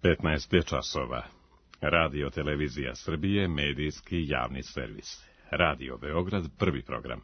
15 je časova. Radio Televizija Srbije, medijski javni servis. Radio Beograd, prvi program.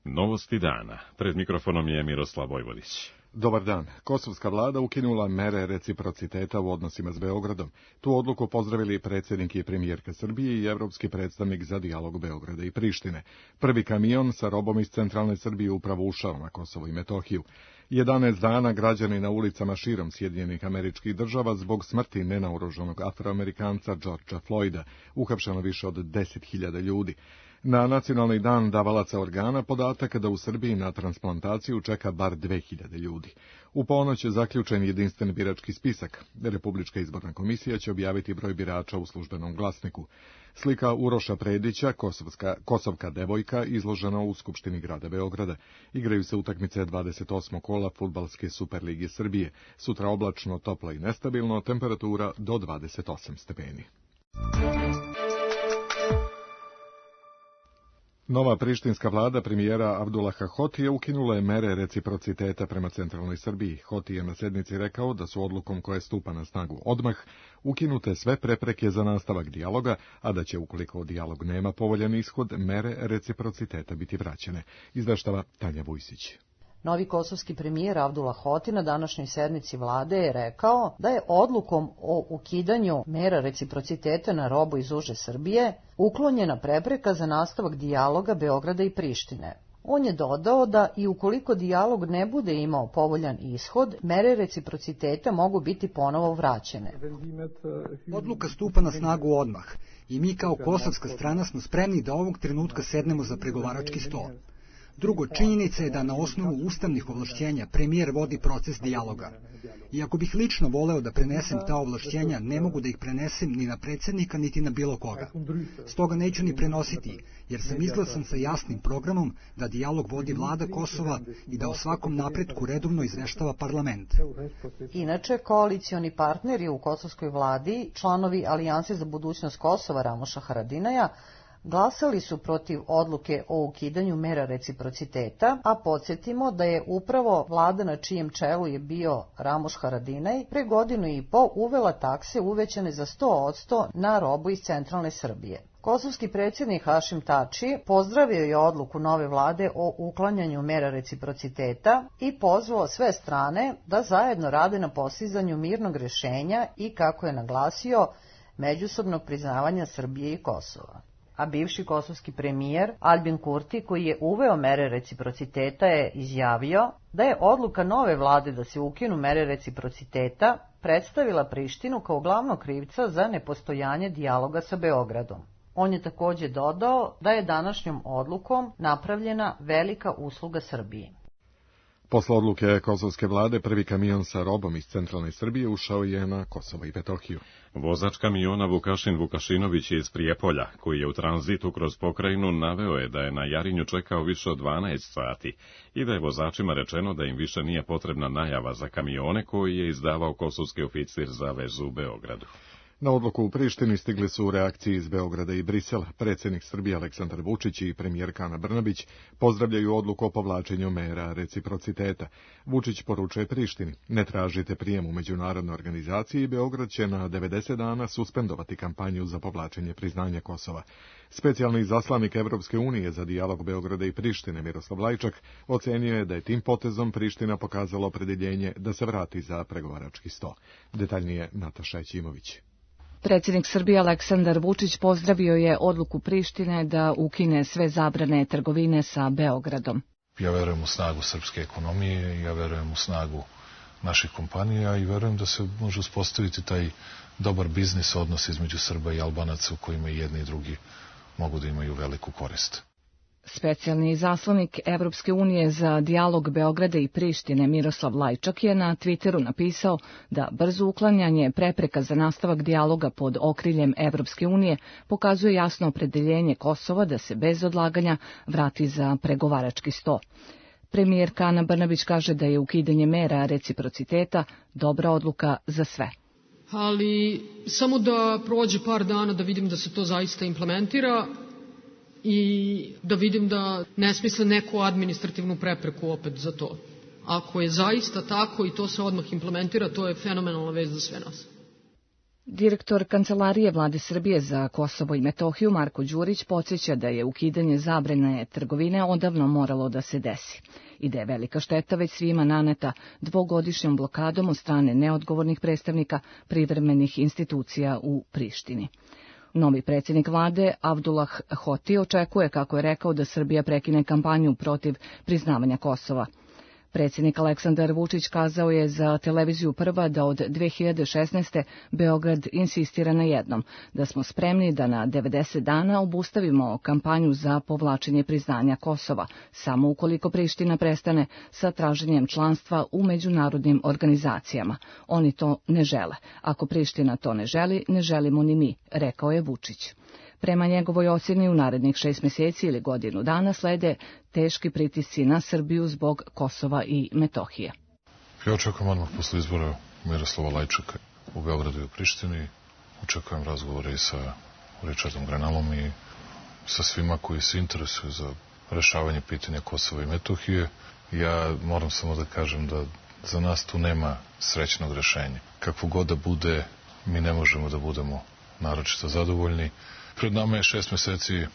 Novosti dana. Pred mikrofonom je Miroslav Vojvodić. Dobar dan. Kosovska vlada ukinula mere reciprociteta u odnosima s Beogradom. Tu odluku pozdravili predsjednik i premijerka Srbije i evropski predstavnik za dijalog Beograda i Prištine. Prvi kamion sa robom iz centralne Srbije upravo ušao na Kosovo i Metohiju. 11 dana građani na ulicama širom Sjedinjenih Američkih Država zbog smrti nenaoružanog Afroamerikanca Georgea Floyda, uhapšeno više od 10.000 ljudi. Na nacionalni dan davalaca organa podatak da u Srbiji na transplantaciju čeka bar 2.000 ljudi. U ponoć je zaključen jedinstven birački spisak. Republička izborna komisija će objaviti broj birača u službenom glasniku. Slika Uroša Predića, kosovka devojka, izložena u Skupštini grada Beograda. Igraju se utakmice 28. kola Fudbalske Superlige Srbije. Sutra oblačno, toplo i nestabilno, temperatura do 28 stepeni. Nova prištinska vlada premijera Abdullaha Hotija ukinula je mere reciprociteta prema centralnoj Srbiji. Hoti je na sednici rekao da su odlukom koja stupa na snagu odmah ukinute sve prepreke za nastavak dijaloga, a da će, ukoliko dijalog nema povoljan ishod, mere reciprociteta biti vraćene. Izveštava Tanja Vujsić. Novi kosovski premijer Abdullah Hoti na današnjoj sednici vlade je rekao da je odlukom o ukidanju mera reciprociteta na robu iz uže Srbije uklonjena prepreka za nastavak dijaloga Beograda i Prištine. On je dodao da i ukoliko dijalog ne bude imao povoljan ishod, mere reciprociteta mogu biti ponovo vraćene. Odluka stupa na snagu odmah i mi kao kosovska strana smo spremni da ovog trenutka sednemo za pregovarački sto. Drugo, činjenica je da na osnovu ustavnih ovlašćenja premijer vodi proces dijaloga. Iako bih lično voleo da prenesem ta ovlašćenja, ne mogu da ih prenesem ni na predsjednika, niti na bilo koga. Stoga neću ni prenositi, jer sam izglasan sa jasnim programom da dijalog vodi vlada Kosova i da o svakom napretku redovno izveštava parlament. Inače, koalicioni partneri u kosovskoj vladi, članovi Alijanse za budućnost Kosova Ramoša Haradinaja, glasali su protiv odluke o ukidanju mera reciprociteta, a podsjetimo da je upravo vlada na čijem čelu je bio Ramoš Haradinaj pre godinu i po uvela takse uvećane za 100% na robu iz centralne Srbije. Kosovski predsjednik Hašim Tači pozdravio je odluku nove vlade o uklanjanju mera reciprociteta i pozvao sve strane da zajedno rade na postizanju mirnog rješenja i, kako je naglasio, međusobnog priznavanja Srbije i Kosova. A bivši kosovski premijer Albin Kurti, koji je uveo mere reciprociteta, je izjavio da je odluka nove vlade da se ukinu mere reciprociteta predstavila Prištinu kao glavnog krivca za nepostojanje dijaloga sa Beogradom. On je također dodao da je današnjom odlukom napravljena velika usluga Srbiji. Posle odluke kosovske vlade, prvi kamion sa robom iz centralne Srbije ušao je na Kosovo i Metohiju. Vozač kamiona Vukašin Vukašinović iz Prijepolja, koji je u tranzitu kroz pokrajinu, naveo je da je na Jarinju čekao više od 12 sati i da je vozačima rečeno da im više nije potrebna najava za kamione koji je izdavao kosovski oficir za vezu u Beogradu. Na odluku u Prištini stigli su u reakciji iz Beograda i Brisela. Predsjednik Srbije Aleksandar Vučić i premijerka Ana Brnabić pozdravljaju odluku o povlačenju mera reciprociteta. Vučić poručuje Prištini: ne tražite prijem u međunarodnoj organizaciji i Beograd će na 90 dana suspendovati kampanju za povlačenje priznanja Kosova. Specijalni izaslanik Evropske unije za dijalog Beograda i Prištine Miroslav Lajčak ocenio je da je tim potezom Priština pokazala opredjeljenje da se vrati za pregovarački sto. Detaljnije Nataša Ećimović. Predsjednik Srbije Aleksandar Vučić pozdravio je odluku Prištine da ukine sve zabrane trgovine sa Beogradom. Ja verujem u snagu srpske ekonomije, ja verujem u snagu naših kompanija i verujem da se može uspostaviti taj dobar biznis odnos između Srba i Albanaca u kojima i jedni i drugi mogu da imaju veliku korist. Specijalni izaslanik Evropske unije za dijalog Beograda i Prištine Miroslav Lajčak je na Twitteru napisao da brzo uklanjanje prepreka za nastavak dijaloga pod okriljem Evropske unije pokazuje jasno opredeljenje Kosova da se bez odlaganja vrati za pregovarački sto. Premijerka Ana Brnabić kaže da je ukidanje mera reciprociteta dobra odluka za sve. Ali samo da prođe par dana da vidim da se to zaista implementira. i da vidim da ne smisle neku administrativnu prepreku opet za to. Ako je zaista tako i to se odmah implementira, to je fenomenalna vest za sve nas. Direktor Kancelarije Vlade Srbije za Kosovo i Metohiju Marko Đurić podsjeća da je ukidanje zabrane trgovine odavno moralo da se desi i da je velika šteta već svima naneta dvogodišnjom blokadom od strane neodgovornih predstavnika privremenih institucija u Prištini. Novi predsjednik vlade, Abdullah Hoti, očekuje, kako je rekao, da Srbija prekine kampanju protiv priznavanja Kosova. Predsjednik Aleksandar Vučić kazao je za televiziju Prva da od 2016. Beograd insistira na jednom, da smo spremni da na 90 dana obustavimo kampanju za povlačenje priznanja Kosova, samo ukoliko Priština prestane sa traženjem članstva u međunarodnim organizacijama. Oni to ne žele. Ako Priština to ne želi, ne želimo ni mi, rekao je Vučić. Prema njegovoj ocjeni u narednih 6 mjeseci ili godinu dana slede teški pritisci na Srbiju zbog Kosova i Metohije. Ja očekujem odmah posle izbora Miroslava Lajčaka u Beogradu i u Prištini. Očekujem razgovore i sa Richardom Grenalom i sa svima koji se interesuju za rešavanje pitanja Kosova i Metohije. Ja moram samo da kažem da za nas tu nema srećnog rešenja. Kakvo god da bude, mi ne možemo da budemo naročito zadovoljni. Pred nama je 6 mjeseci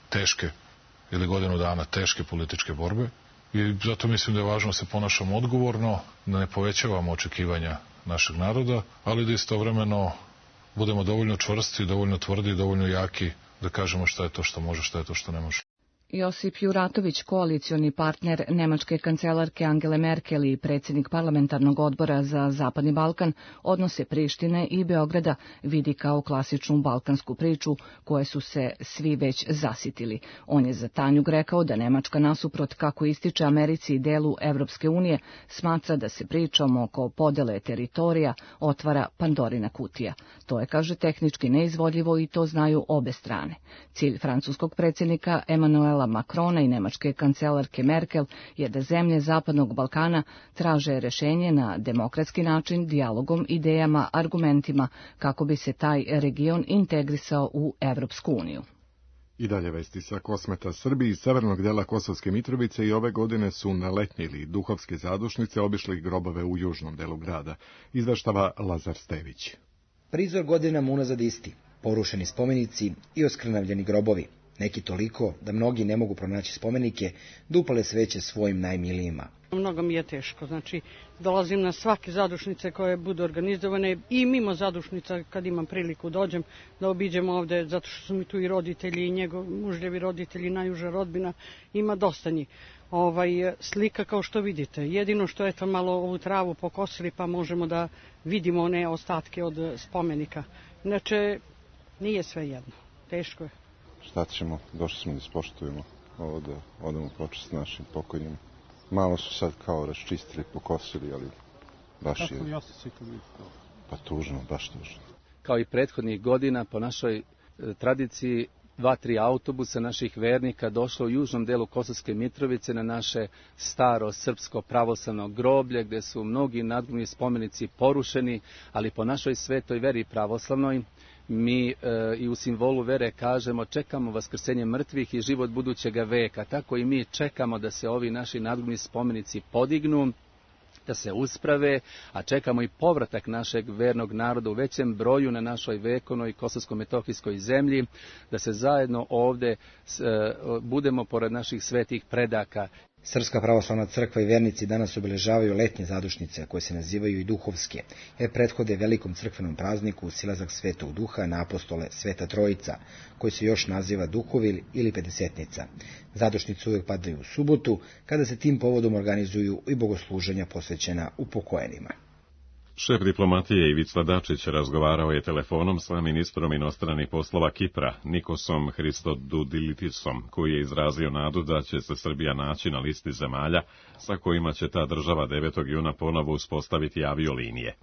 teške, ili godinu dana teške političke borbe i zato mislim da je važno da se ponašamo odgovorno, da ne povećavamo očekivanja našeg naroda, ali da istovremeno budemo dovoljno čvrsti, dovoljno tvrdi i dovoljno jaki da kažemo šta je to što može, šta je to što ne može. Josip Juratović, koalicioni partner nemačke kancelarke Angele Merkel i predsjednik parlamentarnog odbora za Zapadni Balkan, odnose Prištine i Beograda vidi kao klasičnu balkansku priču koje su se svi već zasitili. On je za Tanjug rekao da Nemačka nasuprot, kako ističe Americi i delu Evropske unije, smatra da se pričom oko podele teritorija otvara Pandorina kutija. To je, kaže, tehnički neizvodljivo i to znaju obe strane. Cilj francuskog predsjednika Emanuela Macrona i nemačke kancelarke Merkel je da zemlje Zapadnog Balkana traže rešenje na demokratski način, dijalogom, idejama, argumentima, kako bi se taj region integrisao u Evropsku uniju. I dalje vesti sa Kosmeta. Srbi iz severnog dela Kosovske Mitrovice i ove godine su na letnje ili duhovske zadušnice obišli grobove u južnom delu grada, izveštava Lazar Stević. Prizor godinama unazad isti, porušeni spomenici i oskrnavljeni grobovi. Neki toliko da mnogi ne mogu pronaći spomenike, da upale sveće svojim najmilijima. Mnogo mi je teško, znači dolazim na svake zadušnice koje budu organizovane i mimo zadušnica kad imam priliku dođem da obiđem ovde, zato što su mi tu i roditelji i njegov mužljevi roditelji, najuža rodbina, ima dosta njih. Slika kao što vidite, jedino što je to malo ovu travu pokosili pa možemo da vidimo one ostatke od spomenika. Inače, nije sve jedno, teško je. Šta ćemo, došli smo da ispoštujemo ovo, da odamo počast našim pokojnim. Malo su sad kao raščistili, pokosili, ali baš je... Kako je osjećaj kad vidite to? Pa tužno, baš tužno. Kao i prethodnih godina, po našoj tradiciji, 2-3 autobusa naših vernika došlo u južnom delu Kosovske Mitrovice na naše staro srpsko pravoslavno groblje, gde su mnogi nadgrobni spomenici porušeni, ali po našoj svetoj veri pravoslavnoj, mi i u simbolu vere kažemo čekamo vaskrsenje mrtvih i život budućega veka. Tako i mi čekamo da se ovi naši nadgrobni spomenici podignu, da se usprave, a čekamo i povratak našeg vernog naroda u većem broju na našoj vekovnoj kosovsko-metohijskoj zemlji, da se zajedno ovde budemo pored naših svetih predaka. Srpska pravoslavna crkva i vernici danas obeležavaju letnje zadušnice, koje se nazivaju i duhovske, jer prethode velikom crkvenom prazniku silazak Svetog Duha na apostole Sveta Trojica, koji se još naziva Duhovil ili Pedesetnica. Zadušnice uvijek padaju u subotu, kada se tim povodom organizuju i bogosluženja posvećena upokojenima. Šef diplomatije Ivica Dačić razgovarao je telefonom sa ministrom inostranih poslova Kipra, Nikosom Christodoulidisom, koji je izrazio nadu da će se Srbija naći na listi zemalja sa kojima će ta država 9. juna ponovo uspostaviti aviolinije.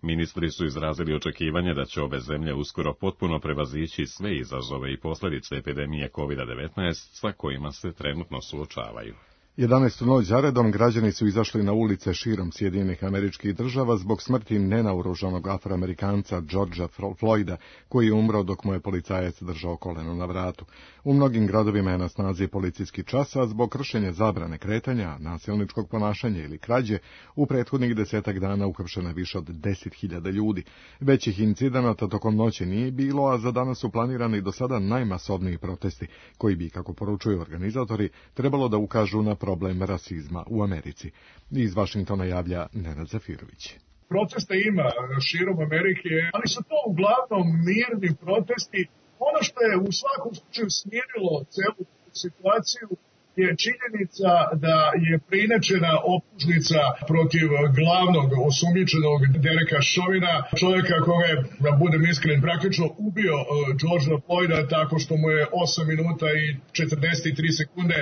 Ministri su izrazili očekivanje da će obe zemlje uskoro potpuno prevazići sve izazove i posljedice epidemije COVID-19 sa kojima se trenutno suočavaju. 11. noć zaredom građani su izašli na ulice širom Sjedinjenih Američkih Država zbog smrti nenaoružanog Afroamerikanca Georgea Floyda, koji je umro dok mu je policajac držao koleno na vratu. U mnogim gradovima je na snazi policijski čas, a zbog kršenja zabrane kretanja, nasilničkog ponašanja ili krađe, u prethodnih 10 dana uhapšeno je više od 10.000 ljudi. Većih incidenata tokom noći nije bilo, a za danas su planirani do sada najmasovniji protesti, koji bi, kako poručuju organizatori, trebalo da ukažu na problem rasizma u Americi. Iz Vašingtona javlja Nenad Zafirović. Protesta ima širom Amerike, ali su to uglavnom mirni protesti. Ono što je u svakom slučaju smirilo celu situaciju je činjenica da je preinačena optužnica protiv glavnog osumnjičenog Dereka Chauvina, čovjeka koga je, da budem iskren, praktično ubio Georgea Floyda tako što mu je 8 minuta i 43 sekunde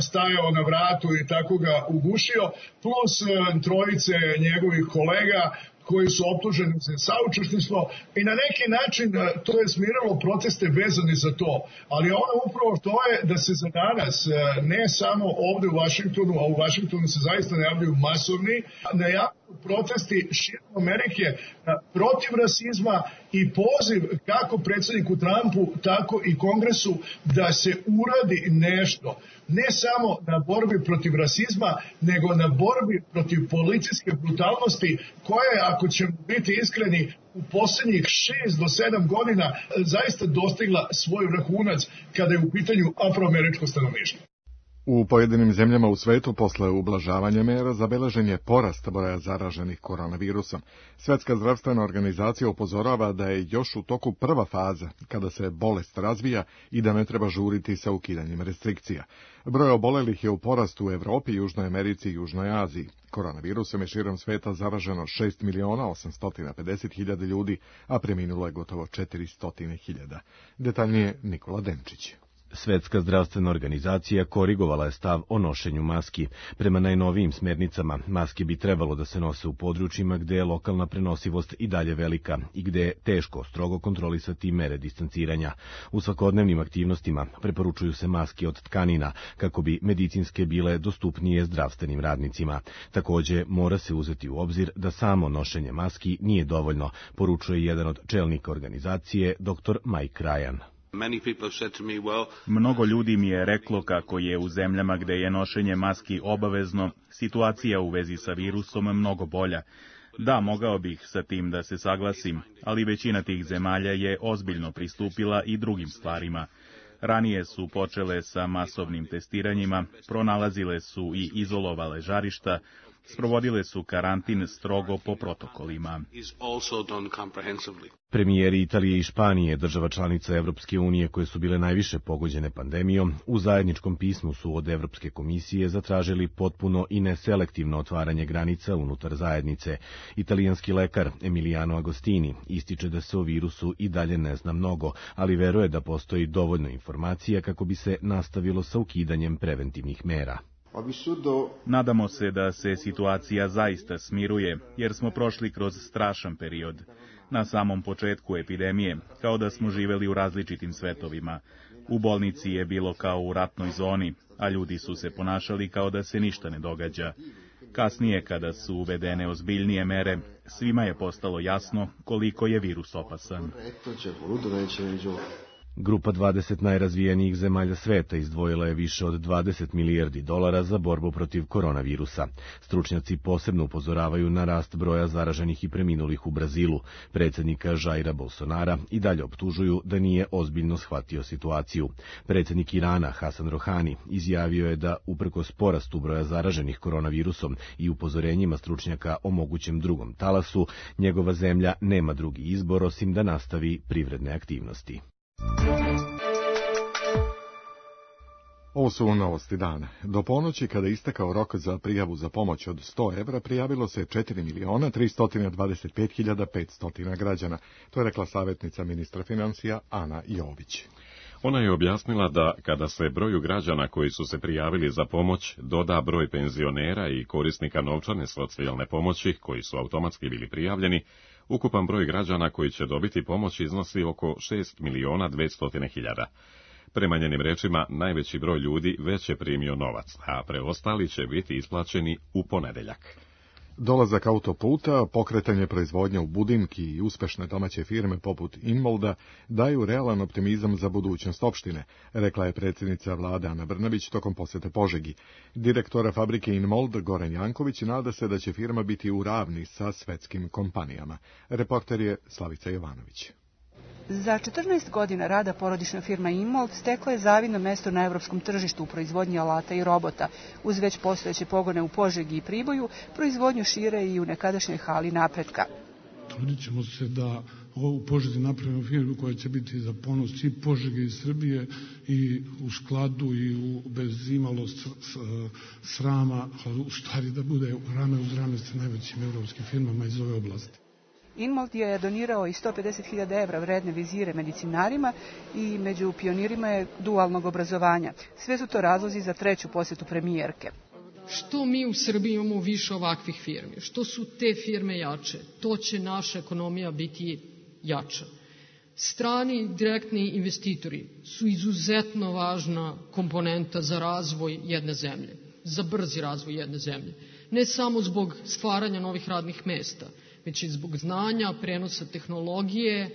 stajao na vratu i tako ga ugušio, plus trojice njegovih kolega koji su optuženi za saučesništvo i na neki način to je smiralo proteste vezane za to. Ali ono upravo to je da se za danas, ne samo ovde u Vašingtonu, a u Vašingtonu se zaista najavljuju masovni, najavljuju protesti širom Amerike protiv rasizma i poziv kako predsjedniku Trumpu, tako i Kongresu da se uradi nešto. Ne samo na borbi protiv rasizma, nego na borbi protiv policijske brutalnosti koja je, ako ćemo biti iskreni, u posljednjih 6 do 7 godina zaista dostigla svoj vrhunac kada je u pitanju afroameričko stanovništvo. U pojedinim zemljama u svetu posle ublažavanja mera zabeležen je porast broja zaraženih koronavirusom. Svjetska zdravstvena organizacija upozorava da je još u toku prva faza kada se bolest razvija i da ne treba žuriti sa ukidanjem restrikcija. Broj obolelih je u porastu u Evropi, Južnoj Americi i Južnoj Aziji. Koronavirusom je širom sveta zaraženo 6.850.000 ljudi, a preminulo je gotovo 400.000. Detaljnije Nikola Denčić. Svetska zdravstvena organizacija korigovala je stav o nošenju maski. Prema najnovijim smernicama, maske bi trebalo da se nose u područjima gde je lokalna prenosivost i dalje velika i gde je teško strogo kontrolisati mere distanciranja. U svakodnevnim aktivnostima preporučuju se maske od tkanina kako bi medicinske bile dostupnije zdravstvenim radnicima. Takođe, mora se uzeti u obzir da samo nošenje maski nije dovoljno, poručuje jedan od čelnika organizacije, dr. Mike Ryan. Mnogo ljudi mi je reklo kako je u zemljama gde je nošenje maski obavezno, situacija u vezi sa virusom mnogo bolja. Da, mogao bih sa tim da se saglasim, ali većina tih zemalja je ozbiljno pristupila i drugim stvarima. Ranije su počele sa masovnim testiranjima, pronalazile su i izolovale žarišta, sprovodile su karantin strogo po protokolima. Premijeri Italije i Španije, država članica Evropske unije koje su bile najviše pogođene pandemijom, u zajedničkom pismu su od Evropske komisije zatražili potpuno i neselektivno otvaranje granica unutar zajednice. Italijanski lekar Emiliano Agostini ističe da se o virusu i dalje ne zna mnogo, ali veruje da postoji dovoljno informacija kako bi se nastavilo sa ukidanjem preventivnih mera. Nadamo se da se situacija zaista smiruje, jer smo prošli kroz strašan period. Na samom početku epidemije, kao da smo živeli u različitim svetovima. U bolnici je bilo kao u ratnoj zoni, a ljudi su se ponašali kao da se ništa ne događa. Kasnije, kada su uvedene ozbiljnije mere, svima je postalo jasno koliko je virus opasan. Grupa 20 najrazvijenijih zemalja sveta izdvojila je više od $20 milijardi za borbu protiv koronavirusa. Stručnjaci posebno upozoravaju na rast broja zaraženih i preminulih u Brazilu. Predsjednika Jaira Bolsonara i dalje optužuju da nije ozbiljno shvatio situaciju. Predsjednik Irana Hasan Rohani izjavio je da uprkos porastu broja zaraženih koronavirusom i upozorenjima stručnjaka o mogućem drugom talasu, njegova zemlja nema drugi izbor osim da nastavi privredne aktivnosti. Ovo su novosti dana. Do ponoći, kada je istekao rok za prijavu za pomoć od 100 evra, prijavilo se 4.325.500 građana. To je rekla savjetnica ministra financija Ana Jović. Ona je objasnila da kada se broju građana koji su se prijavili za pomoć doda broj penzionera i korisnika novčane socijalne pomoći koji su automatski bili prijavljeni, ukupan broj građana koji će dobiti pomoć iznosi oko 6.200.000. Prema njenim rečima, najveći broj ljudi već je primio novac, a preostali će biti isplaćeni u ponedeljak. Dolazak autoputa, pokretanje proizvodnje u Budimki i uspešne domaće firme poput Inmolda daju realan optimizam za budućnost opštine, rekla je predsjednica vlade Ana Brnabić tokom posete Požegi. Direktora fabrike Inmold Goran Janković nada se da će firma biti u ravni sa svetskim kompanijama. Reporter je Slavica Jovanović. Za 14 godina rada porodična firma Inmold stekla je zavidno mesto na evropskom tržištu u proizvodnji alata i robota. Uz već postojeće pogone u Požegi i Priboju, proizvodnju šire i u nekadašnjoj hali Napretka. Trudit ćemo se da u Požegi napravimo firmu koja će biti za ponos i Požege i Srbije i u skladu i bez imalo srama, u stvari da bude rame uz rame sa najvećim evropskim firmama iz ove oblasti. Inmold je donirao i 150.000 evra vredne vizire medicinarima i među pionirima je dualnog obrazovanja. Sve su to razlozi za treću posjetu premijerke. Što mi u Srbiji imamo više ovakvih firmi, što su te firme jače, to će naša ekonomija biti jača. Strani direktni investitori su izuzetno važna komponenta za razvoj jedne zemlje, za brzi razvoj jedne zemlje. Ne samo zbog stvaranja novih radnih mesta, već i zbog znanja, prenosa tehnologije,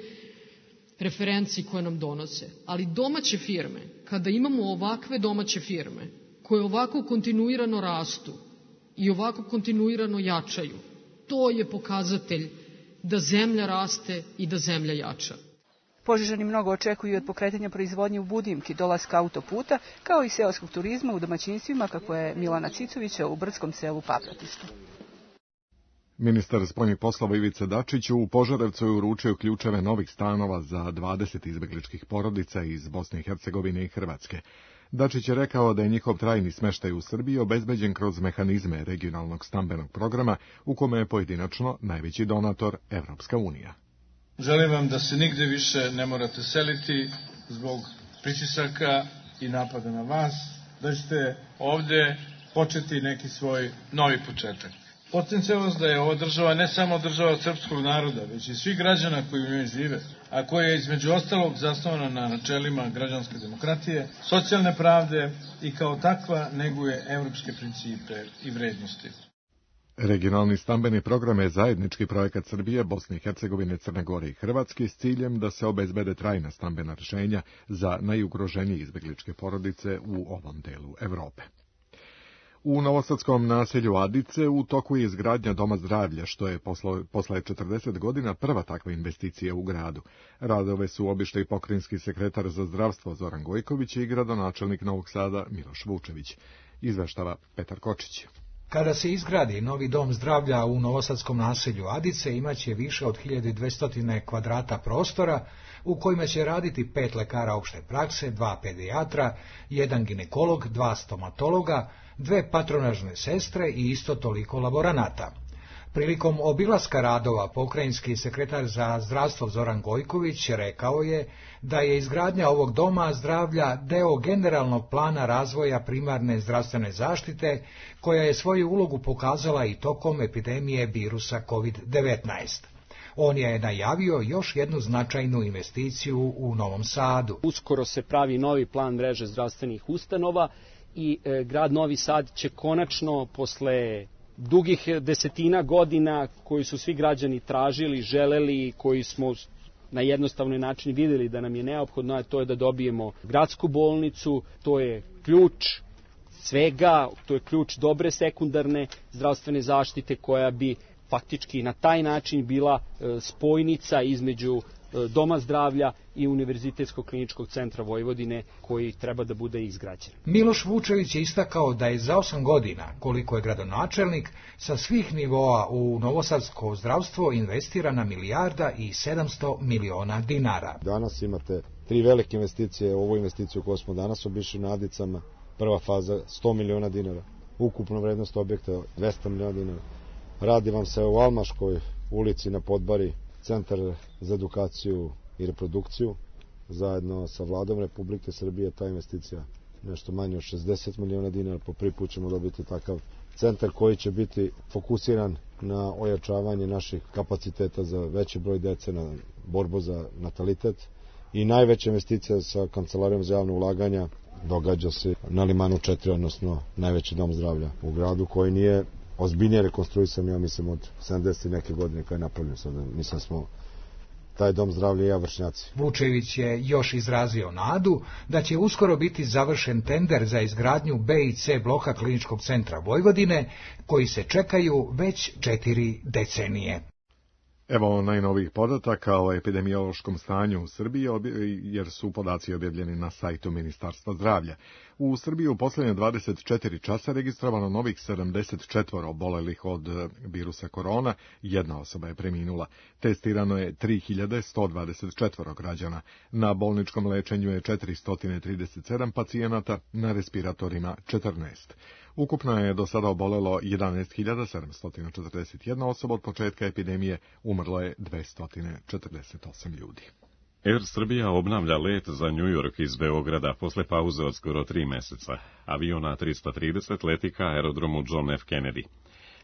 referenci koje nam donose. Ali domaće firme, kada imamo ovakve domaće firme, koje ovako kontinuirano rastu i ovako kontinuirano jačaju, to je pokazatelj da zemlja raste i da zemlja jača. Požežani mnogo očekuju od pokretanja proizvodnje u Budimki, dolaska autoputa, kao i seoskog turizma u domaćinstvima, kako je Milana Cicovića u brdskom selu Papratištu. Ministar spoljnih poslova Ivica Dačić u Požarevcu je uručio ključeve novih stanova za 20 izbegličkih porodica iz Bosne i Hercegovine i Hrvatske. Dačić je rekao da je njihov trajni smeštaj u Srbiji obezbeđen kroz mehanizme regionalnog stambenog programa, u kome je pojedinačno najveći donator Evropska unija. Želim vam da se nigde više ne morate seliti zbog pritisaka i napada na vas, da ćete ovde početi neki svoj novi početak. Podsjećam vas da je ova država ne samo država srpskog naroda, već i svih građana koji u njoj žive, a koja je između ostalog zasnovana na načelima građanske demokratije, socijalne pravde i kao takva neguje evropske principe i vrednosti. Regionalni stambeni program je zajednički projekat Srbije, Bosne i Hercegovine, Crne Gore i Hrvatske s ciljem da se obezbede trajna stambena rješenja za najugroženije izbegličke porodice u ovom delu Evrope. U novosadskom naselju Adice u toku je izgradnja Doma zdravlja, što je posle 40 godina prva takva investicija u gradu. Radove su obišli pokrajinski sekretar za zdravstvo Zoran Gojković i gradonačelnik Novog Sada Miloš Vučević. Izveštava Petar Kočić. Kada se izgradi novi dom zdravlja u novosadskom naselju Adice, imaće više od 1200 kvadrata prostora, u kojima će raditi 5 lekara opšte prakse, 2 pedijatra, 1 ginekolog, 2 stomatologa, 2 patronažne sestre i isto toliko laboranata. Prilikom obilaska radova pokrajinski sekretar za zdravstvo Zoran Gojković rekao je da je izgradnja ovog doma zdravlja deo generalnog plana razvoja primarne zdravstvene zaštite, koja je svoju ulogu pokazala i tokom epidemije virusa COVID-19. On je najavio još jednu značajnu investiciju u Novom Sadu. Uskoro se pravi novi plan mreže zdravstvenih ustanova i grad Novi Sad će konačno posle dugih desetina godina koji su svi građani tražili, želeli, koji smo na jednostavni način vidjeli da nam je neophodno, a to je da dobijemo gradsku bolnicu, to je ključ svega, to je ključ dobre sekundarne zdravstvene zaštite koja bi faktički na taj način bila spojnica između Doma zdravlja i Univerzitetskog kliničkog centra Vojvodine koji treba da bude izgrađen. Miloš Vučević je istakao da je za 8 godina, koliko je gradonačelnik, sa svih nivoa u novosadsko zdravstvo investirana $1,7 milijardi. Danas imate 3 velike investicije, ovu investiciju koju smo danas obišli na Adicama, prva faza $100 miliona, ukupna vrednost objekta $200 miliona. Radi vam se u Almaškoj ulici na Podbari, Centar za edukaciju i reprodukciju, zajedno sa Vladom Republike Srbije, ta investicija nešto manje od $60 miliona, po prvi put ćemo dobiti takav centar koji će biti fokusiran na ojačavanje naših kapaciteta za veći broj dece, na borbu za natalitet i najveća investicija sa Kancelarijom za javne ulaganja događa se na Limanu 4, odnosno najveći dom zdravlja u gradu, koji nije ozbiljnije rekonstruisan, ja mislim, od 70 neke godine kada je napravljen. Sada mislim smo taj dom zdravlja i ja vršnjaci. Vučević je još izrazio nadu da će uskoro biti završen tender za izgradnju B i C bloka Kliničkog centra Vojvodine, koji se čekaju već 4 decenije. Evo najnovijih podataka o epidemiološkom stanju u Srbiji, jer su podaci objavljeni na sajtu Ministarstva zdravlja. U Srbiji u posljednje 24 časa registrovano novih 74 obolelih od virusa korona, jedna osoba je preminula. Testirano je 3124 građana. Na bolničkom lečenju je 437 pacijenata, na respiratorima 14. Ukupno je do sada obolelo 11.741 osoba od početka epidemije, umrlo je 248 ljudi. Air Srbija obnavlja let za New York iz Beograda posle pauze od skoro 3 meseca. Avion A330 leti ka aerodromu John F. Kennedy.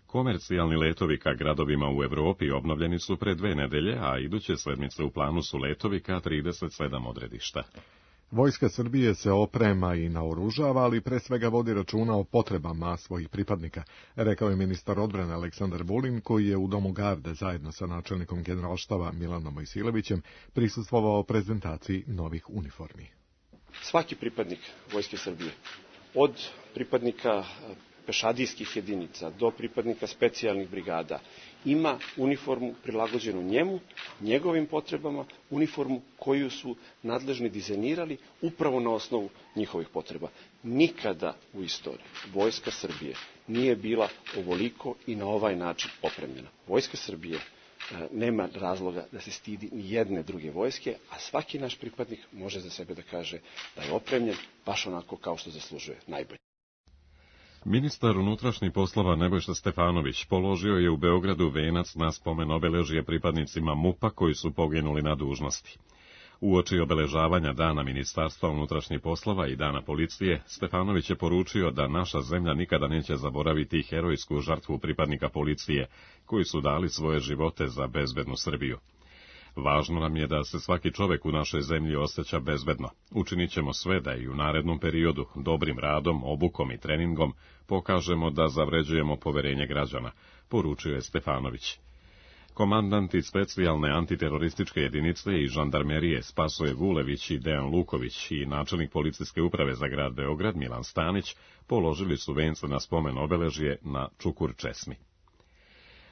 Komercijalni letovi ka gradovima u Evropi obnovljeni su pre 2 nedelje, a iduće sedmice u planu su letovi ka 37 odredišta. Vojska Srbije se oprema i naoružava, ali pre svega vodi računa o potrebama svojih pripadnika, rekao je ministar odbrane Aleksandar Vulin, koji je u Domu garde zajedno sa načelnikom generalštaba Milanom Mojsilevićem prisustvovao prezentaciji novih uniformi. Svaki pripadnik Vojske Srbije, od pripadnika pešadijskih jedinica do pripadnika specijalnih brigada, ima uniformu prilagođenu njemu, njegovim potrebama, uniformu koju su nadležni dizajnirali upravo na osnovu njihovih potreba. Nikada u istoriji Vojska Srbije nije bila ovoliko i na ovaj način opremljena. Vojska Srbije nema razloga da se stidi ni jedne druge vojske, a svaki naš pripadnik može za sebe da kaže da je opremljen baš onako kao što zaslužuje, najbolje. Ministar unutrašnjih poslova Nebojša Stefanović položio je u Beogradu venac na spomen obeležje pripadnicima MUP-a koji su poginuli na dužnosti. Uoči obeležavanja Dana Ministarstva unutrašnjih poslova i Dana policije, Stefanović je poručio da naša zemlja nikada neće zaboraviti herojsku žrtvu pripadnika policije, koji su dali svoje živote za bezbednu Srbiju. Važno nam je da se svaki čovek u našoj zemlji osjeća bezbedno. Učinit ćemo sve da i u narednom periodu, dobrim radom, obukom i treningom, pokažemo da zavređujemo poverenje građana, poručio je Stefanović. Komandanti specijalne antiterorističke jedinice i žandarmerije Spasoje Vulević i Dejan Luković i načelnik policijske uprave za grad Beograd Milan Stanić položili su vence na spomen obeležje na Čukur Česmi.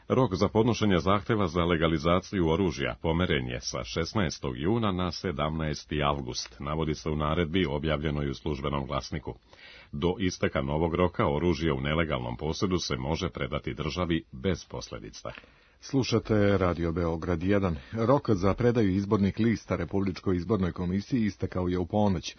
Rok za podnošenje zahteva za legalizaciju oružja pomeren je sa 16. juna na 17. avgust, navodi se u naredbi objavljenoj u Službenom glasniku. Do isteka novog roka oružje u nelegalnom posjedu se može predati državi bez posljedica. Slušate Radio Beograd 1. Rok za predaju izbornih lista Republičkoj izbornoj komisiji istekao je u ponoć.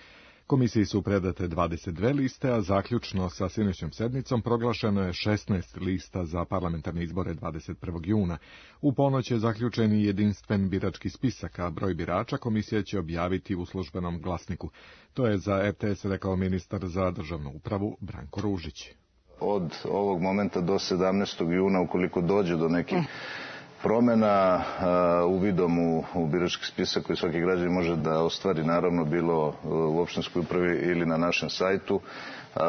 Komisiji su predate 22 liste, a zaključno sa sinoćnom sednicom proglašeno je 16 lista za parlamentarne izbore 21. juna. U ponoć je zaključen i jedinstven birački spisak, a broj birača komisija će objaviti u Službenom glasniku. To je za RTS rekao ministar za državnu upravu Branko Ružić. Od ovog momenta do 17. juna, ukoliko dođe do nekih promjena uvidom u birački spisak koji svaki građanin može da ostvari, naravno bilo u opštinskoj upravi ili na našem sajtu.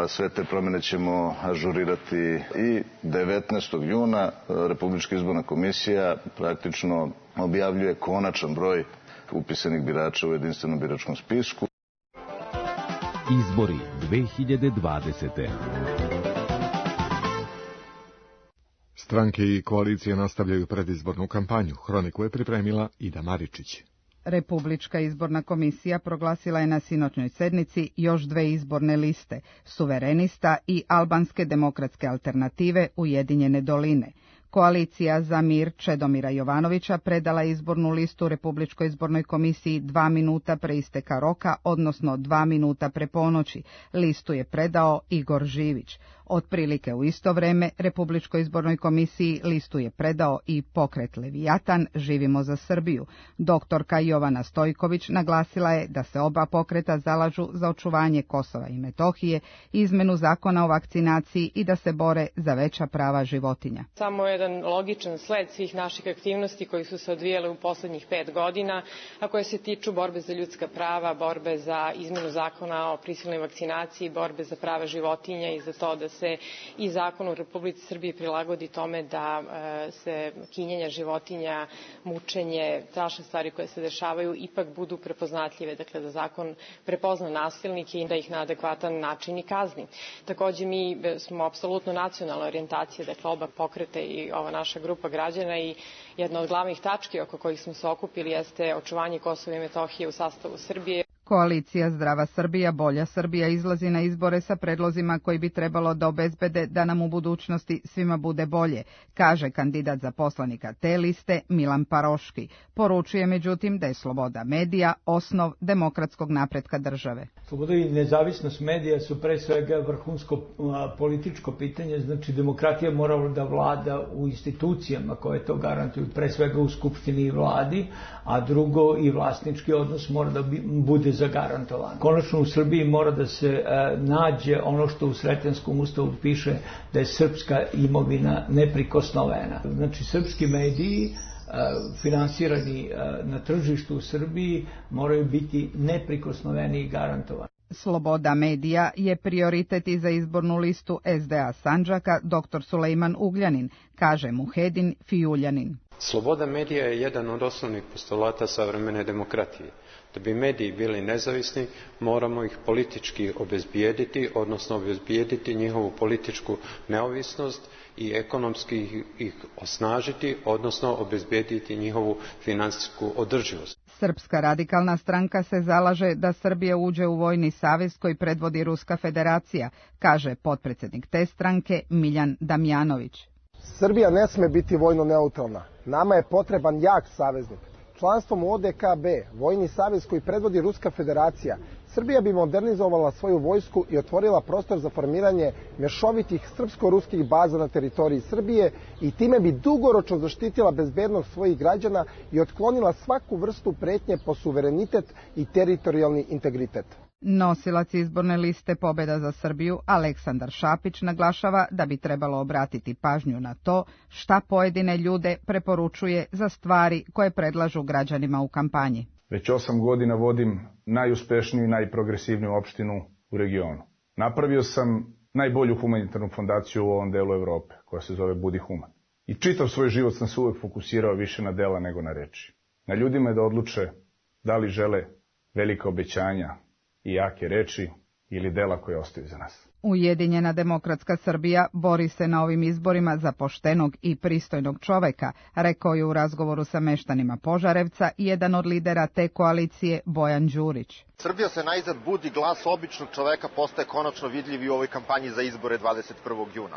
Sve te promjene ćemo ažurirati i 19. juna. Republička izborna komisija praktično objavljuje konačan broj upisanih birača u jedinstvenom biračkom spisku. Izbori 2020. Stranke i koalicije nastavljaju predizbornu kampanju. Hroniku je pripremila Ida Maričić. Republička izborna komisija proglasila je na sinoćnoj sednici još 2 izborne liste, Suverenista i Albanske demokratske alternative Ujedinjene doline. Koalicija za mir Čedomira Jovanovića predala izbornu listu Republičkoj izbornoj komisiji 2 minuta pre isteka roka, odnosno 2 minuta pre ponoći. Listu je predao Igor Živić. Otprilike u isto vreme Republičkoj izbornoj komisiji listu je predao i pokret Levijatan Živimo za Srbiju. Doktorka Jovana Stojković naglasila je da se oba pokreta zalažu za očuvanje Kosova i Metohije, izmenu zakona o vakcinaciji i da se bore za veća prava životinja. Samo jedan logičan sled svih naših aktivnosti koji su se odvijale u poslednjih 5 godina, a koje se tiču borbe za ljudska prava, borbe za izmenu zakona o prisilnoj vakcinaciji, borbe za prava životinja i za to da se i zakon u Republici Srbiji prilagodi tome da se kinjenja životinja, mučenje, strašne stvari koje se dešavaju ipak budu prepoznatljive, dakle da zakon prepozna nasilnike i da ih na adekvatan način i kazni. Takođe mi smo apsolutno nacionalna orijentacija, dakle oba pokreta i ova naša grupa građana i jedna od glavnih tački oko kojih smo se okupili jeste očuvanje Kosova i Metohije u sastavu Srbije. Koalicija Zdrava Srbija, Bolja Srbija izlazi na izbore sa predlozima koji bi trebalo da obezbede da nam u budućnosti svima bude bolje, kaže kandidat za poslanika te liste Milan Paroški. Poručuje međutim da je sloboda medija osnov demokratskog napretka države. Sloboda i nezavisnost medija su pre svega vrhunsko političko pitanje, znači demokratija mora da vlada u institucijama koje to garantuju, pre svega u Skupštini i vladi, a drugo i vlasnički odnos mora da bude zagarantovan. Konačno u Srbiji mora da se nađe ono što u Sretenskom ustavu piše da je srpska imovina neprikosnovena. Znači srpski mediji finansirani na tržištu u Srbiji moraju biti neprikosnoveni i garantovani. Sloboda medija je prioritet i za izbornu listu SDA Sandžaka dr. Sulejman Ugljanin, kaže Muhedin Fijuljanin. Sloboda medija je jedan od osnovnih postulata savremene demokratije. Da bi mediji bili nezavisni, moramo ih politički obezbijediti, odnosno obezbijediti njihovu političku neovisnost i ekonomski ih osnažiti, odnosno obezbijediti njihovu finansijsku održivost. Srpska radikalna stranka se zalaže da Srbija uđe u vojni savez koji predvodi Ruska federacija, kaže potpredsjednik te stranke Miljan Damjanović. Srbija ne sme biti vojno neutralna. Nama je potreban jak saveznik. Članstvom u ODKB, vojni savez koji predvodi Ruska federacija, Srbija bi modernizovala svoju vojsku i otvorila prostor za formiranje mješovitih srpsko-ruskih baza na teritoriji Srbije i time bi dugoročno zaštitila bezbednost svojih građana i otklonila svaku vrstu pretnje po suverenitet i teritorijalni integritet. Nosilac izborne liste Pobeda za Srbiju Aleksandar Šapić naglašava da bi trebalo obratiti pažnju na to šta pojedine ljude preporučuje za stvari koje predlažu građanima u kampanji. Već 8 godina vodim najuspešniju i najprogresivniju opštinu u regionu. Napravio sam najbolju humanitarnu fondaciju u ovom delu Evrope, koja se zove Budi Human. I čitav svoj život sam se uvek fokusirao više na dela nego na reči. Na ljudima je da odluče da li žele velika obećanja i jake reči ili dela koje ostaju za nas. Ujedinjena demokratska Srbija bori se na ovim izborima za poštenog i pristojnog čoveka, rekao je u razgovoru sa meštanima Požarevca jedan od lidera te koalicije Bojan Đurić. Srbija se najzad budi, glas običnog čoveka postaje konačno vidljiv i u ovoj kampanji za izbore 21. juna.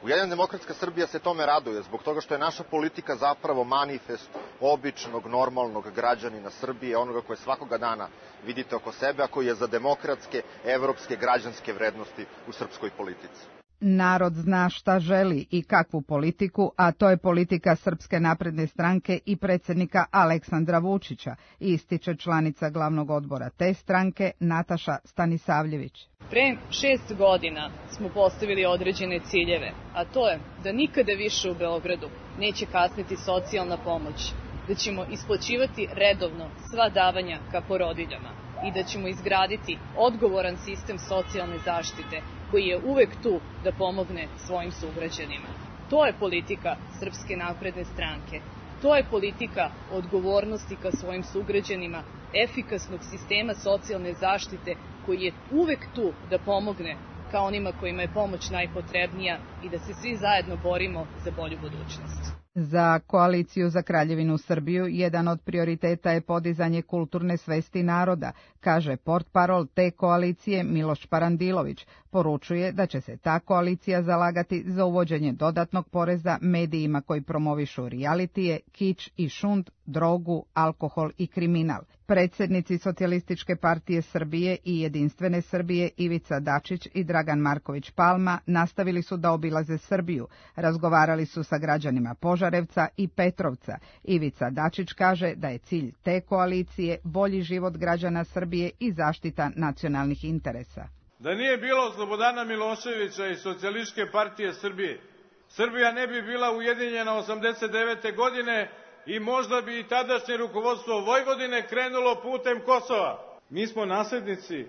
Ujedinjena demokratska Srbija se tome raduje zbog toga što je naša politika zapravo manifest običnog, normalnog građanina Srbije, onoga koje svakoga dana vidite oko sebe, a koji je za demokratske, evropske, građanske vrednosti u srpskoj politici. Narod zna šta želi i kakvu politiku, a to je politika Srpske napredne stranke i predsjednika Aleksandra Vučića, ističe članica glavnog odbora te stranke Nataša Stanisavljević. Pre 6 godina smo postavili određene ciljeve, a to je da nikada više u Beogradu neće kasniti socijalna pomoć, da ćemo isplaćivati redovno sva davanja ka porodiljama i da ćemo izgraditi odgovoran sistem socijalne zaštite koji je uvek tu da pomogne svojim sugrađanima. To je politika Srpske napredne stranke. To je politika odgovornosti ka svojim sugrađanima, efikasnog sistema socijalne zaštite koji je uvek tu da pomogne ka onima kojima je pomoć najpotrebnija i da se svi zajedno borimo za bolju budućnost. Za koaliciju za Kraljevinu Srbiju jedan od prioriteta je podizanje kulturne svesti naroda, kaže portparol te koalicije Miloš Parandilović. Poručuje da će se ta koalicija zalagati za uvođenje dodatnog poreza medijima koji promovišu realitije, kič i šund, drogu, alkohol i kriminal. Predsjednici Socijalističke partije Srbije i Jedinstvene Srbije Ivica Dačić i Dragan Marković Palma nastavili su da obilaze Srbiju, razgovarali su sa građanima Požarevca i Petrovca. Ivica Dačić kaže da je cilj te koalicije bolji život građana Srbije i zaštita nacionalnih interesa. Da nije bilo Slobodana Miloševića i Socijalističke partije Srbije, Srbija ne bi bila ujedinjena 89. godine i možda bi i tadašnje rukovodstvo Vojvodine krenulo putem Kosova. Mi smo naslednici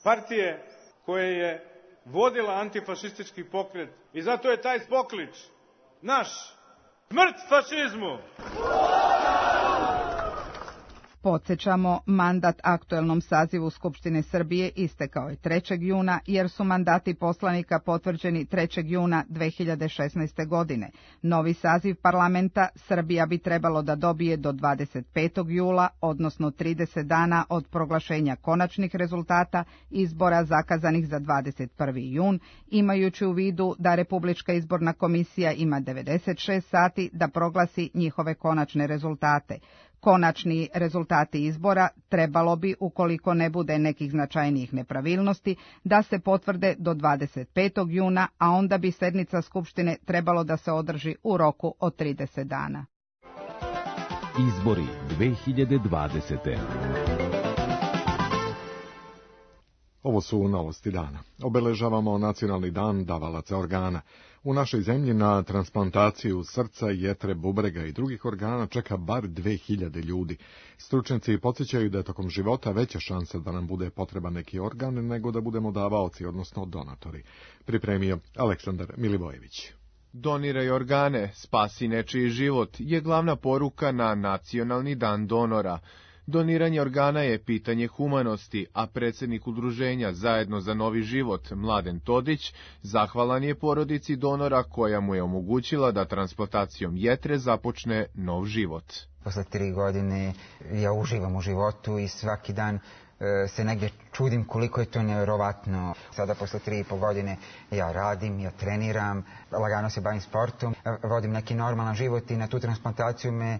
partije koje je vodila antifašistički pokret i zato je taj poklič naš: smrt fašizmu! Podsjećamo, mandat aktuelnom sazivu Skupštine Srbije istekao je 3. juna jer su mandati poslanika potvrđeni 3. juna 2016. godine. Novi saziv parlamenta Srbija bi trebalo da dobije do 25. jula, odnosno 30 dana od proglašenja konačnih rezultata izbora zakazanih za 21. jun, imajući u vidu da Republička izborna komisija ima 96 sati da proglasi njihove konačne rezultate. Konačni rezultati izbora trebalo bi, ukoliko ne bude nekih značajnijih nepravilnosti, da se potvrde do 25. juna, a onda bi sednica Skupštine trebalo da se održi u roku od 30 dana. Izbori 2020. Ovo su novosti dana. Obeležavamo Nacionalni dan davalaca organa. U našoj zemlji na transplantaciju srca, jetre, bubrega i drugih organa čeka bar 2000 ljudi. Stručnjaci podsjećaju da je tokom života veća šansa da nam bude potreban neki organ nego da budemo davaoci, odnosno donatori. Pripremio Aleksandar Milivojević. Doniraj organe, spasi nečiji život je glavna poruka na Nacionalni dan donora. Doniranje organa je pitanje humanosti, a predsjednik udruženja Zajedno za novi život, Mladen Todić, zahvalan je porodici donora koja mu je omogućila da transplantacijom jetre započne nov život. Posle 3 godine ja uživam u životu i svaki dan se negdje čudim koliko je to nevjerovatno. Sada posle 3,5 godine ja radim, ja treniram, lagano se bavim sportom, vodim neki normalan život i na tu transplantaciju me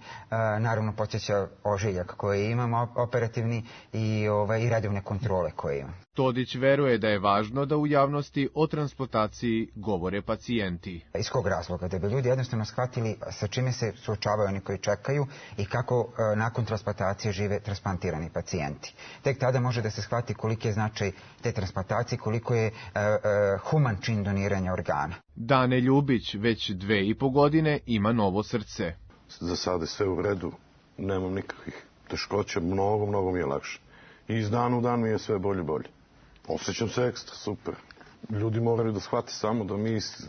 naravno podsjeća ožiljak koji imam operativni i redovne kontrole koje imam. Todić veruje da je važno da u javnosti o transplantaciji govore pacijenti. Iz kog razloga? Da bi ljudi jednostavno shvatili sa čime se suočavaju oni koji čekaju i kako nakon transplantacije žive transplantirani pacijenti. Tek tada može da se shvati koliki je značaj te transplantacije, koliko je human čin doniranja organa. Dane Ljubić već 2,5 godine ima novo srce. Za sada je sve u redu, nemam nikakvih teškoća, mnogo mi je lakše. I iz dana u dan mi je sve bolje. Osjećam se ekstra, super. Ljudi moraju da shvate samo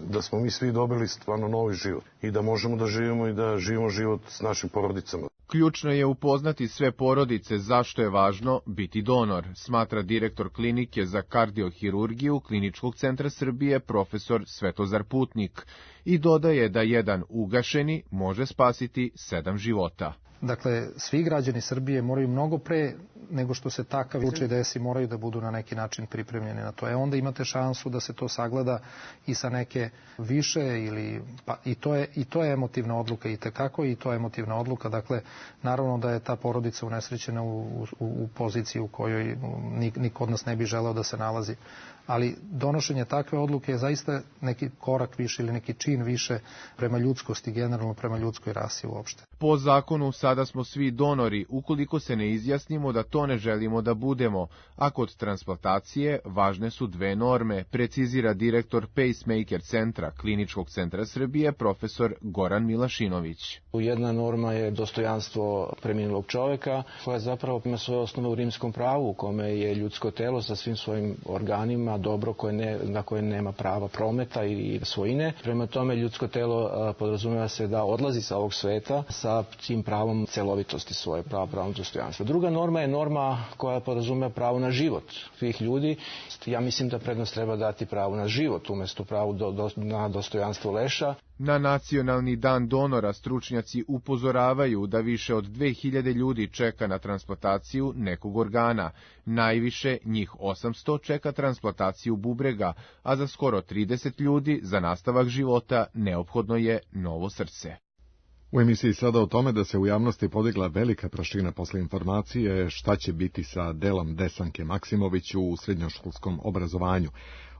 da smo mi svi dobili stvarno novi život i da možemo da živimo i da živimo život s našim porodicama. Ključno je upoznati sve porodice zašto je važno biti donor, smatra direktor klinike za kardiohirurgiju Kliničkog centra Srbije profesor Svetozar Putnik i dodaje da jedan ugašeni može spasiti 7 života. Dakle, svi građani Srbije moraju mnogo pre nego što se takav slučaj desi, moraju da budu na neki način pripremljeni na to. Onda imate šansu da se to sagleda i sa neke više i to je emotivna odluka i tekako i to je emotivna odluka. Dakle, naravno da je ta porodica unesrećena u poziciji u kojoj niko od nas ne bi želeo da se nalazi. Ali donošenje takve odluke je zaista neki korak više ili neki čin više prema ljudskosti, generalno prema ljudskoj rasi uopšte. Po zakonu sada smo svi donori ukoliko se ne izjasnimo da to ne želimo da budemo, a kod transplantacije važne su 2 norme, precizira direktor Pacemaker centra Kliničkog centra Srbije profesor Goran Milašinović. Jedna norma je dostojanstvo preminulog čoveka, koja zapravo ima svoje osnove u rimskom pravu, u kome je ljudsko telo sa svim svojim organima dobro na koje nema prava prometa i svojine. Prema tome ljudsko telo podrazumeva se da odlazi sa ovog sveta sa tim pravom celovitosti svoje, pravom dostojanstva. Druga norma je norma koja podrazumeva pravo na život svih ljudi. Ja mislim da prednost treba dati pravo na život umjesto pravu na dostojanstvo leša. Na Nacionalni dan donora stručnjaci upozoravaju da više od 2000 ljudi čeka na transplantaciju nekog organa. Najviše, njih 800, čeka transplantaciju bubrega, a za skoro 30 ljudi za nastavak života neophodno je novo srce. U emisiji sada o tome da se u javnosti podigla velika prašina posle informacije šta će biti sa delom Desanke Maksimović u srednjoškolskom obrazovanju.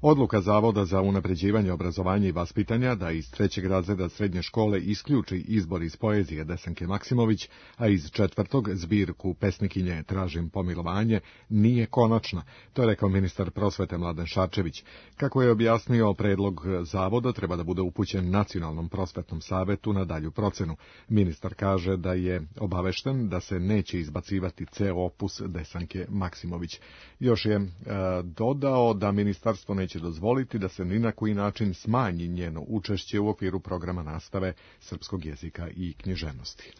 Odluka Zavoda za unapređivanje obrazovanja i vaspitanja da iz 3. razreda srednje škole isključi izbor iz poezije Desanke Maksimović, a iz 4. zbirku pesnikinje Tražim pomilovanje, nije konačna. To je rekao ministar prosvete Mladen Šarčević. Kako je objasnio, predlog Zavoda treba da bude upućen Nacionalnom prosvetnom savetu na dalju procenu. Ministar kaže da je obavešten da se neće izbacivati ceo opus Desanke Maksimović. Još je dodao da ministarstvo neće dozvoliti da se ni na koji način smanji njeno učešće u okviru programa nastave srpskog jezika i književnosti.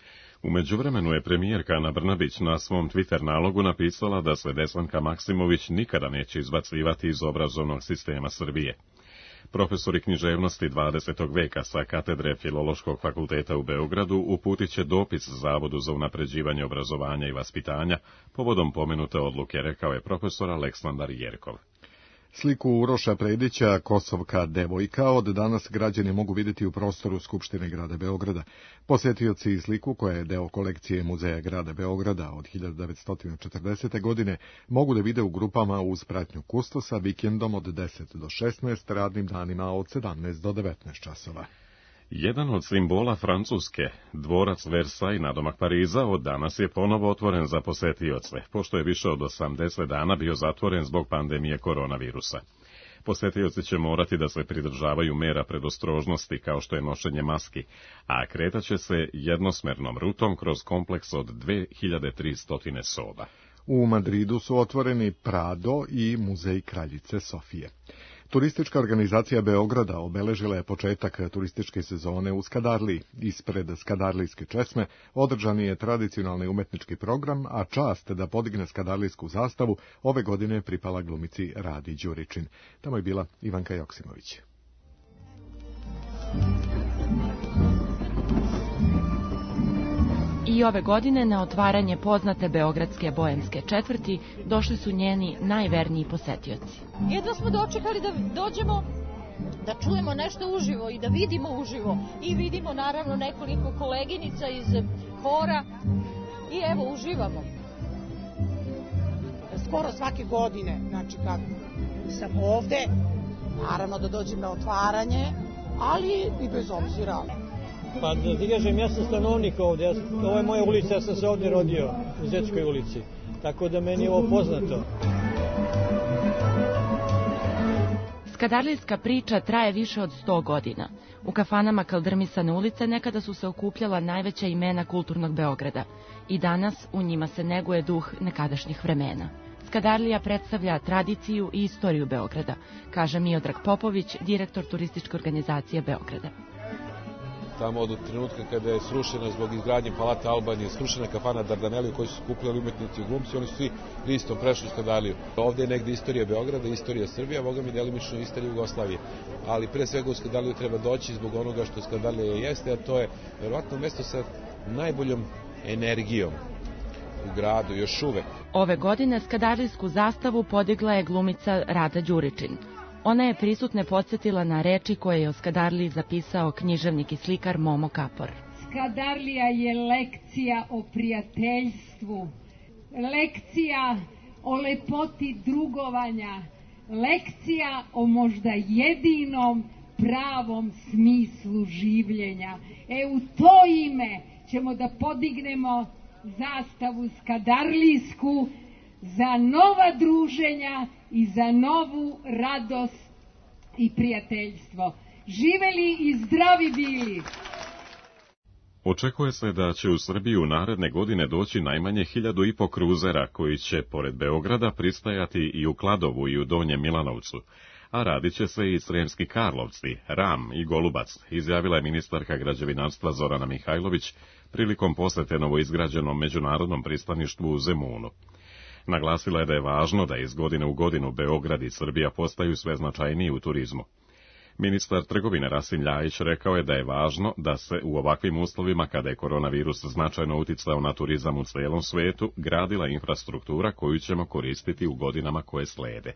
U međuvremenu je premijerka Ana Brnabić na svom Twitter nalogu napisala da se Desanka Maksimović nikada neće izbacivati iz obrazovnog sistema Srbije. Profesori književnosti 20. veka sa katedre Filološkog fakulteta u Beogradu uputit će dopis Zavodu za unapređivanje obrazovanja i vaspitanja povodom pomenute odluke, rekao je profesor Aleksandar Jerkov. Sliku Uroša Predića, Kosovka devojka, od danas građani mogu vidjeti u prostoru Skupštine grada Beograda. Posjetioci sliku, koja je deo kolekcije Muzeja grada Beograda od 1940. godine, mogu da vide u grupama uz pratnju kustosa vikendom od 10 do 16, radnim danima od 17 do 19 časova. Jedan od simbola Francuske, dvorac Versailles nadomak Pariza, od danas je ponovo otvoren za posetioce, pošto je više od 80 dana bio zatvoren zbog pandemije koronavirusa. Posetioci će morati da se pridržavaju mera predostrožnosti kao što je nošenje maski, a kretaće se jednosmernom rutom kroz kompleks od 2300 soba. U Madridu su otvoreni Prado i Muzej kraljice Sofije. Turistička organizacija Beograda obeležila je početak turističke sezone u Skadarliji. Ispred Skadarlijske česme održan je tradicionalni umetnički program, a čast da podigne skadarlijsku zastavu ove godine pripala glumici Radi Đuričin. Tamo je bila Ivanka Joksimović. I ove godine na otvaranje poznate beogradske boemske četvrti došli su njeni najverniji posetioci. Jedva smo dočekali da dođemo, da čujemo nešto uživo i da vidimo uživo. I vidimo naravno nekoliko koleginica iz hora i evo uživamo. Skoro svake godine, znači kad sam ovde, naravno da dođem na otvaranje, ali i bez obzira. Pa da ti kažem, ja sam stanovnik ovde, ovo je moja ulica, ja sam se ovde rodio, u Zečkoj ulici, tako da meni je ovo poznato. Skadarlijska priča traje više od 100 godina. U kafanama kaldrmisane ulice nekada su se okupljala najveća imena kulturnog Beograda i danas u njima se neguje duh nekadašnjih vremena. Skadarlija predstavlja tradiciju i istoriju Beograda, kaže Miodrag Popović, direktor turističke organizacije Beograda. Tamo od trenutka kada je srušena zbog izgradnje Palata Albanije, srušena kafana Dardaneli u kojoj su skupljali umetnici i glumci, oni su svi listom prešli u Skadarliju. Ovde je negde istorija Beograda, istorija Srbije, a boga mi delimično istorija Jugoslavije. Ali pre svega u Skadarliju treba doći zbog onoga što Skadarlija jeste, a to je verovatno mesto sa najboljom energijom u gradu, još uvek. Ove godine skadarlijsku zastavu podigla je glumica Rada Đuričin. Ona je prisutne podsjetila na reči koje je o Skadarliji zapisao književnik i slikar Momo Kapor. Skadarlija je lekcija o prijateljstvu, lekcija o lepoti drugovanja, lekcija o možda jedinom pravom smislu življenja. U to ime ćemo da podignemo zastavu skadarlijsku za nova druženja i za novu radost i prijateljstvo. Živeli i zdravi bili! Očekuje se da će u Srbiju naredne godine doći najmanje 1500 kruzera koji će, pored Beograda, pristajati i u Kladovu i u Donjem Milanovcu, a radit će se i Sremski Karlovci, Ram i Golubac, izjavila je ministarka građevinarstva Zorana Mihajlović prilikom posete novoizgrađenom međunarodnom pristaništvu u Zemunu. Naglasila je da je važno da iz godine u godinu Beograd i Srbija postaju sve značajniji u turizmu. Ministar trgovine Rasim Ljajić rekao je da je važno da se u ovakvim uslovima, kada je koronavirus značajno uticao na turizam u celom svetu, gradila infrastruktura koju ćemo koristiti u godinama koje slede.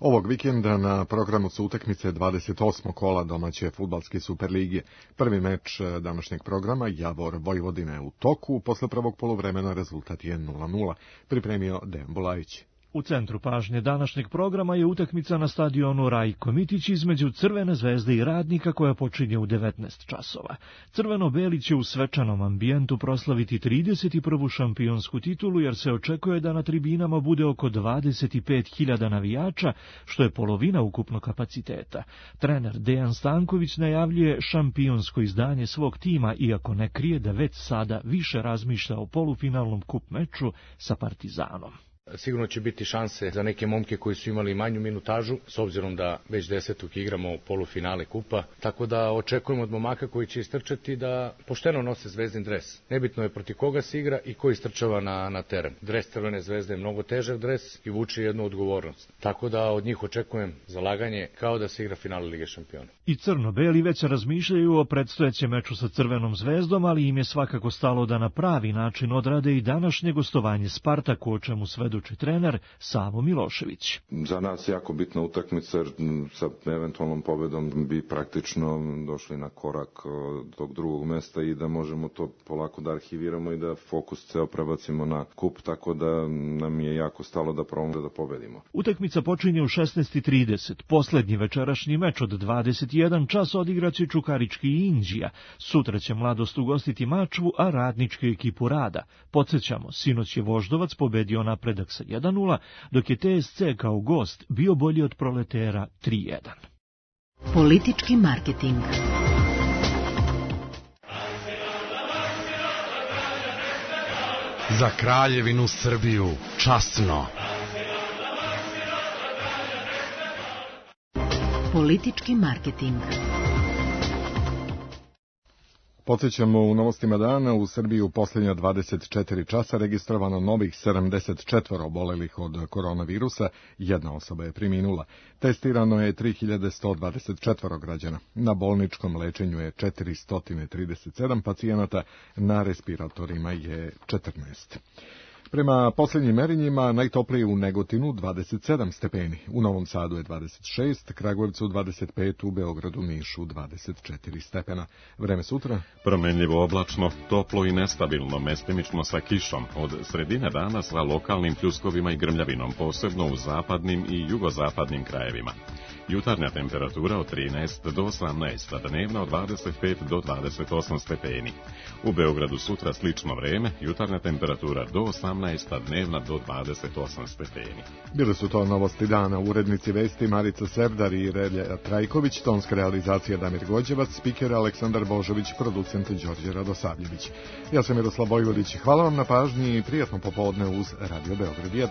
Ovog vikenda na programu su utakmice 28. kola domaće fudbalske Superligije. Prvi meč današnjeg programa Javor Vojvodina je u toku, posle prvog poluvremena rezultat je 0:0, pripremio Dejan Bulajić. U centru pažnje današnjeg programa je utakmica na stadionu Rajko Mitić između Crvene zvezde i Radnika koja počinje u 19 časova. Crveno-beli će u svečanom ambijentu proslaviti 31. šampionsku titulu jer se očekuje da na tribinama bude oko 25.000 navijača, što je polovina ukupnog kapaciteta. Trener Dejan Stanković najavljuje šampionsko izdanje svog tima, iako ne krije da već sada više razmišlja o polufinalnom kup meču sa Partizanom. Sigurno će biti šanse za neke momke koji su imali manju minutažu, s obzirom da već 10. igramo polufinale kupa, tako da očekujemo od momaka koji će istrčati da pošteno nose zvezdin dres. Nebitno je protiv koga se igra i ko istrčava na teren. Dres Crvene zvezde je mnogo težak dres i vuče jednu odgovornost. Tako da od njih očekujem zalaganje kao da se igra finale Lige šampiona. I crno-beli već razmišljaju o predstojećem meču sa Crvenom zvezdom, ali im je svakako stalo da na pravi način odrade i današnje gostovanje Spartaku, o čemu svedoči trener Savo Milošević. Za nas jako bitna utakmica, jer sa eventualnom pobedom bi praktično došli na korak tog drugog mesta i da možemo to polako da arhiviramo i da fokus ceo prebacimo na kup, tako da nam je jako stalo da probamo da pobedimo. Utakmica počinje u 16:30. Poslednji večerašnji meč od 21 čas odigraće Čukarički i Inđija. Sutra će Mladost ugostiti Mačvu, a Radničku ekipu Rada. Podsjećamo, sinoć je Voždovac pobedio napredak sa 1:0, dok je TSC kao gost bio bolji od Proletera 3:1. Politički marketing. Za Kraljevinu Srbiju, časno. Politički marketing. Podsjećamo u novostima dana, u Srbiji u posljednja 24 časa registrovano novih 74 obolelih od koronavirusa, jedna osoba je preminula. Testirano je 3124 građana. Na bolničkom lečenju je 437 pacijenata, na respiratorima je 14. Prema posljednjim merenjima najtoplije u Negotinu 27 stepeni, u Novom Sadu je 26, Kragujevcu 25, u Beogradu, Nišu 24 stepena. Vreme sutra? Promenljivo oblačno, toplo i nestabilno, mestimično sa kišom, od sredine dana sa lokalnim pljuskovima i grmljavinom, posebno u zapadnim i jugozapadnim krajevima. Jutarnja temperatura od 13 do 18, a dnevna od 25 do 28 stepeni. U Beogradu sutra slično vreme, jutarnja temperatura do 18, a dnevna do 28 stepeni. Bile su to novosti dana, urednici vesti Marica Sevdar i Relja Trajković, tonska realizacija Damir Gođevac, spiker Aleksandar Božović, producent Đorđe Radosavljević. Ja sam Miroslav Vojvodić, hvala vam na pažnji i prijatno popodne uz Radio Beograd 1.